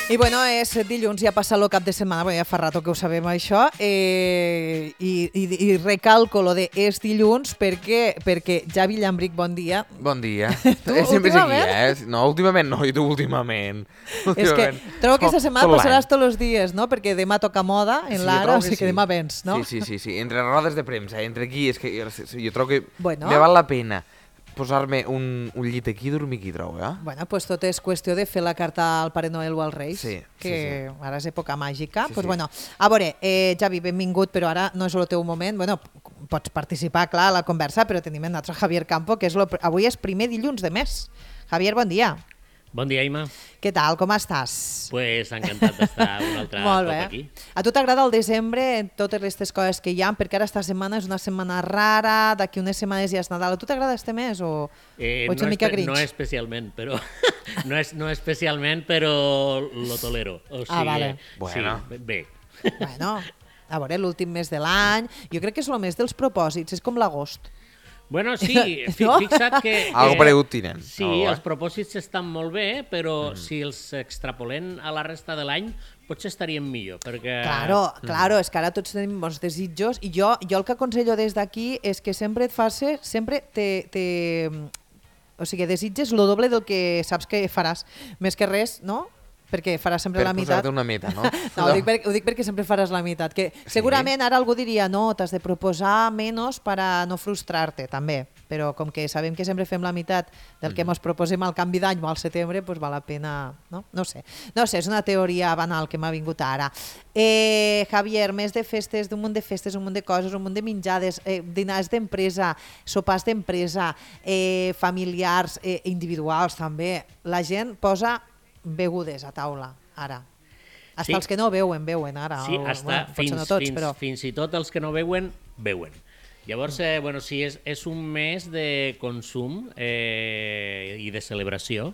I bueno, és dilluns, ja passa el cap de setmana, ja fa rato que ho sabem això, i recalco lo de és dilluns perquè Javi Llambric, bon dia. Bon dia. Tu, Sempre és aquí, últimament? No, últimament no, i tu últimament. És que trobo que aquesta setmana passaràs tots els dies, no? Perquè demà toca moda en l'Ara, o sigui que demà vens, no? Sí. Entre rodes de premsa, entre aquí, és que jo trobo que Bueno. me val la pena posar-me un llit aquí i dormir aquí, trobo, Bueno, pues tot és qüestió de fer la carta al Pare Noel o als Reis, que ara és època màgica. Pues bueno, a veure, Javi, benvingut, però ara no és el teu moment. Bueno, pots participar, clar, a la conversa, però tenim el nostre Javier Campo, que avui és primer dilluns de mes. Javier, bon dia. Bon dia, Ima. Què tal, com estàs? Pues encantat d'estar un altre cop aquí. A tu t'agrada el desembre, totes aquestes coses que hi ha, perquè ara esta setmana és una setmana rara, d'aquí unes setmanes ja és Nadal. A tu t'agrada este mes o ets una mica grinch? No especialment, però no especialment, però lo tolero. O sigui, vale. Bueno. Sí, bé. Bueno, a veure, l'últim mes de l'any, jo crec que és el mes dels propòsits, és com l'agost. Bueno, sí, No? fixa't que... Algo paregut tenen. Sí, els propòsits estan molt bé, però si els extrapolem a la resta de l'any, potser estaríem millor, perquè... Claro, és que ara tots tenim molts desitjos i jo el que aconsello des d'aquí és que sempre et facis, sempre o sigui, desitges lo doble del que saps que faràs. Més que res, no? Perquè faràs sempre la meitat. Per posar-te una meta, no? No, ho dic perquè sempre faràs la meitat. Que segurament ara algú diria no, t'has de proposar menys per a no frustrar-te, també. Però com que sabem que sempre fem la meitat del que ens proposem al canvi d'any o al setembre, doncs val la pena... No sé, és una teoria banal que m'ha vingut ara. Javier, mes de festes, un munt de festes, un munt de coses, un munt de menjades, dinars d'empresa, sopars d'empresa, familiars, individuals també. La gent posa begudes a taula, ara. Hasta els que no beuen ara. Sí, fins i tot els que no beuen. Llavors, sí, és un mes de consum i de celebració.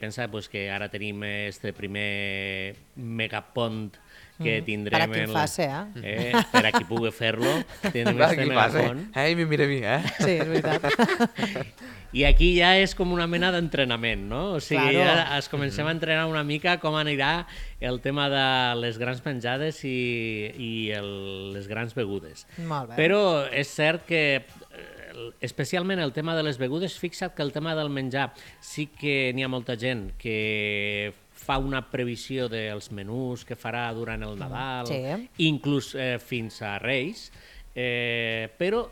Pensa que ara tenim este primer megapont que tindrem... Per a qui faci, per a qui pugui fer-lo. Tindrem este megapont. Mi mira a mi, Sí, és veritat. I aquí ja és com una mena d'entrenament, no? O sigui, Claro. ja es comencem a entrenar una mica com anirà el tema de les grans menjades i les grans begudes. Molt bé. Però és cert que, especialment el tema de les begudes, fixa't que el tema del menjar sí que n'hi ha molta gent que fa una previsió dels menús que farà durant el Nadal, inclús fins a Reis, però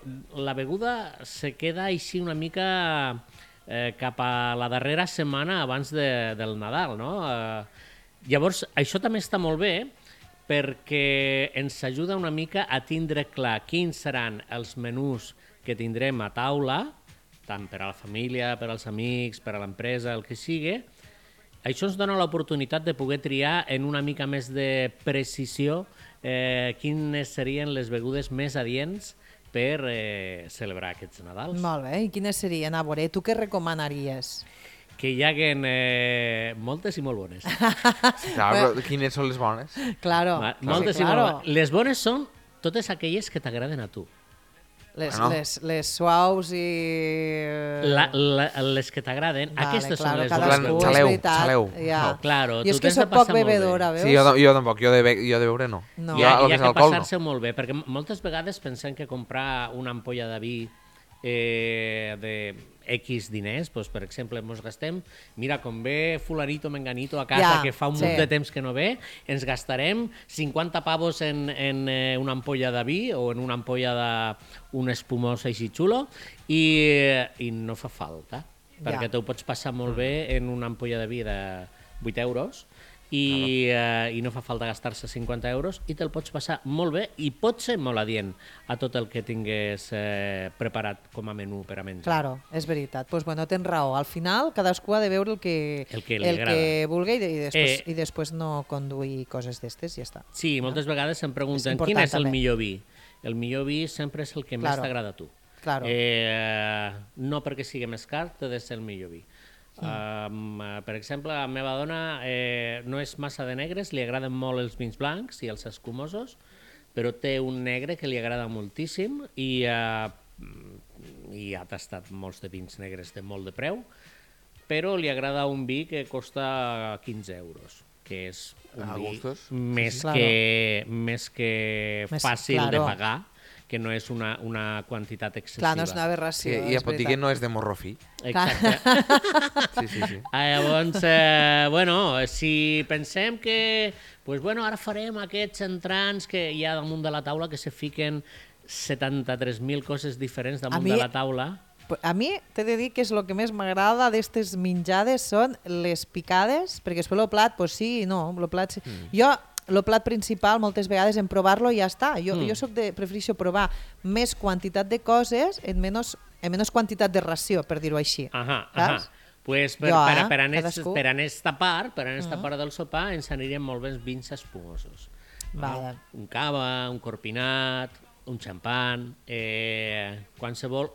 la beguda se queda així una mica cap a la darrera setmana abans del Nadal, no? Llavors, això també està molt bé perquè ens ajuda una mica a tindre clar quins seran els menús que tindrem a taula, tant per a la família, per als amics, per a l'empresa, el que sigui. Això ens dona l'oportunitat de poder triar en una mica més de precisió quines serien les begudes més adients per celebrar aquests Nadals. Molt bé, i quines serien? A veure, tu què recomanaries? Que hi haguen moltes i molt bones. Clar, però quines són les bones? Claro. Moltes i molt bones. Les bones són totes aquelles que t'agraden a tu. Les suaus i... Les que t'agraden, aquestes són les bones. Xaleu. Claro, jo és que soc poc bebedora, veus? Sí, jo tampoc, jo de beure no. Hi ha que passar-se molt bé, perquè moltes vegades pensem que comprar una ampolla de vi de X diners, doncs, per exemple, ens gastem, mira, com ve fulanito menganito a casa que fa un munt de temps que no ve, ens gastarem 50 pavos en una ampolla de vi o en una ampolla d'un espumós així xulo i no fa falta, perquè tu ho pots passar molt bé en una ampolla de vi de 8 euros i no fa falta gastar-se 50 euros i te'l pots passar molt bé i pot ser molt adient a tot el que tingués preparat com a menú per a menjar. Claro, és veritat. Doncs bueno, tens raó. Al final cadascú ha de veure el que vulgui i després no conduir coses d'estes i ja està. Sí, moltes vegades em pregunten quin és el millor vi. El millor vi sempre és el que més t'agrada a tu. No perquè sigui més car, t'ha de ser el millor vi. Per exemple, la meva dona no és massa de negres, li agraden molt els vins blancs i els escumosos, però té un negre que li agrada moltíssim i ha tastat molts de vins negres de molt de preu, però li agrada un vi que costa 15 euros. que és un A vi gustos. més Sí, que, més que Més, fàcil de claro. pagar, que no és una quantitat excessiva. Clar, no és una aberració, Sí, i és et pot dir que veritat. no és de morro fi. Exacte. Sí. Llavors, bueno, si pensem que pues, bueno, ara farem aquests entrants que hi ha damunt de la taula, que se fiquen 73.000 coses diferents damunt mi- de la taula. A mi t'he de dir que és el que més m'agrada d'aquestes menjades són les picades, perquè després el plat, pues sí i no. El plat, jo, el plat principal, moltes vegades en provar-lo i ja està. Jo prefereixo provar més quantitat de coses en menys quantitat de ració, per dir-ho així. Saps? Pues Jo, cadascú. per esta part del sopar ens anirien molt bé els vins espumosos. Vale. Un cava, un corpinat, un xampan, qualsevol,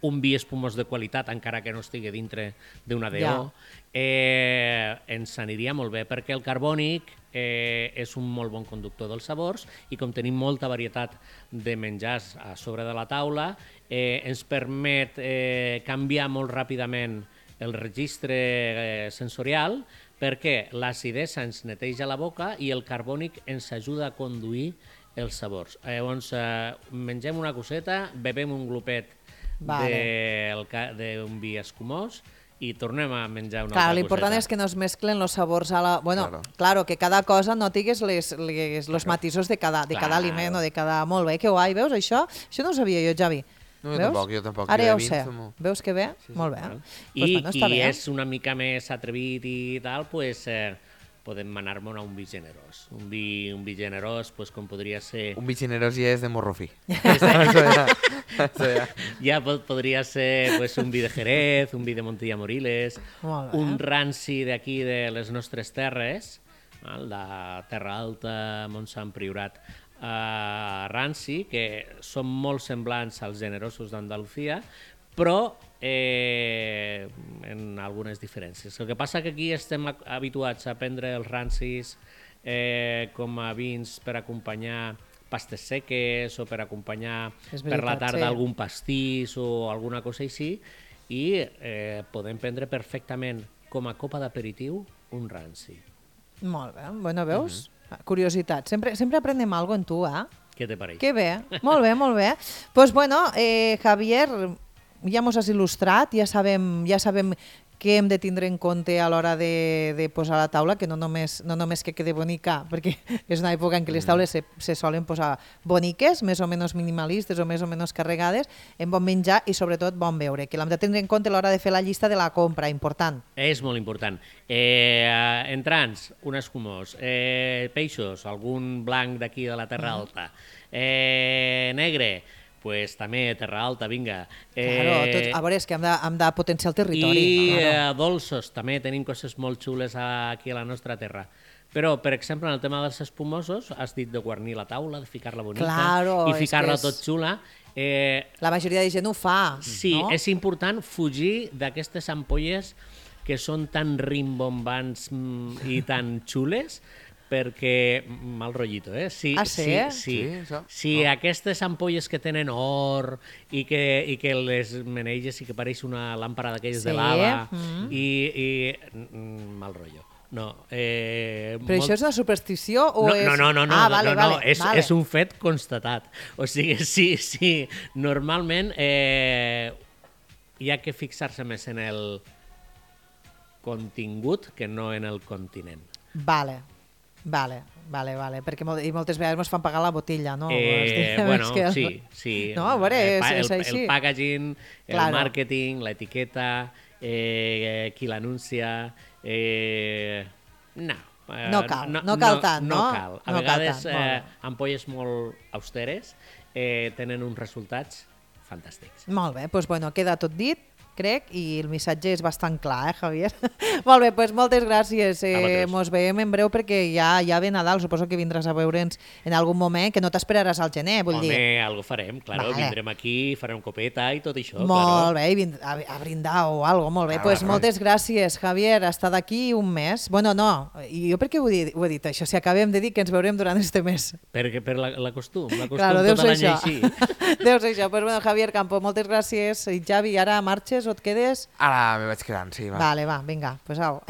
un vi espumós de qualitat, encara que no estigui dintre d'una DO, ens aniria molt bé, perquè el carbònic és un molt bon conductor dels sabors i com tenim molta varietat de menjars a sobre de la taula, ens permet canviar molt ràpidament el registre sensorial, perquè l'acidesa ens neteja la boca i el carbònic ens ajuda a conduir els sabors. Llavors, mengem una coseta, bebem un glopet d'un vi escumós i tornem a menjar una altra coseta. L'important és que no es mesclen els sabors a la... Bueno, claro, que cada cosa no tingués els matisos de cada aliment o de cada... Molt bé, que guai, veus això? Això no ho sabia jo, Javi. No, jo tampoc. Ara ja ho sé. Veus que bé? Molt bé. I qui és una mica més atrevit i tal, doncs podem anar-me'n a un vi generós. Un vi generós, com podria ser... Un vi generós ja és de morro fi. Ja podria ser un vi de Jerez, un vi de Montilla Moriles, un ranci d'aquí de les nostres terres, de Terra Alta, Montsant, Priorat, ranci, que són molt semblants als generosos d'Andalusia, però en algunes diferències. El que passa que aquí estem habituats a prendre els rancis com a vins per acompanyar pastes seques o per acompanyar per la tarda algun pastís o alguna cosa així, i podem prendre perfectament com a copa d'aperitiu un ranci. Molt bé, bueno, veus? Curiositat. Sempre aprenem alguna cosa en tu, Què te pareix? Que bé, molt bé, molt bé. Doncs bueno, Javier, ja mos has il·lustrat, ja sabem què hem de tindre en compte a l'hora de posar a la taula, que no només que quede bonica, perquè és una època en què les taules se solen posar boniques, més o menys minimalistes o més o menys carregades, en bon menjar i sobretot bon beure, que l'hem de tindre en compte a l'hora de fer la llista de la compra, important. És molt important. Entrants, un escumós, peixos, algun blanc d'aquí de la Terra Alta, negre, pues també Terra Alta, vinga. Claro, a veure, és que hem de potenciar el territori. I dolços, també tenim coses molt xules aquí a la nostra terra. Però, per exemple, en el tema dels espumosos, has dit de guarnir la taula, de ficar-la bonica i ficar-la tot xula. La majoria de gent ho fa. Sí, és important fugir d'aquestes ampolles que són tan rimbombants i tan xules, perquè mal rotllito, Sí? Si aquestes ampolles que tenen or i que les meneiges i que pareix una làmpara d'aquelles de lava i mal rotllo. No. Però això és una superstició o és... No, és un fet constatat. O sigui, sí, normalment hi ha que fixar-se més en el contingut que no en el continent. Vale, perquè moltes vegades ens fan pagar la botella, no? Bueno, sí. No, a veure, és així. El packaging, el màrqueting, l'etiqueta, qui l'anuncia... No cal tant, no? No cal. A vegades ampolles molt austeres tenen uns resultats fantàstics. Molt bé, doncs bueno, queda tot dit, crec, i el missatge és bastant clar, Javier? Molt bé, doncs moltes gràcies. Mos veiem en breu perquè ja ve Nadal, suposo que vindràs a veure'ns en algun moment, que no t'esperaràs al gener, vull dir. Home, algo farem, claro, vindrem aquí, farem copeta i tot això. Molt bé, a brindar o algo, molt bé. Doncs moltes gràcies, Javier, ha estat aquí un mes. Bueno, no, i jo per què ho he dit això? Si acabem de dir que ens veurem durant este mes. Per la costum Claro, tot l'any així. Deu ser això. Doncs bueno, Javier Campo, moltes gràcies. I Javi, ara marxes o et quedes? Ara me vaig quedant, sí, va. Vale, va, vinga, pues au.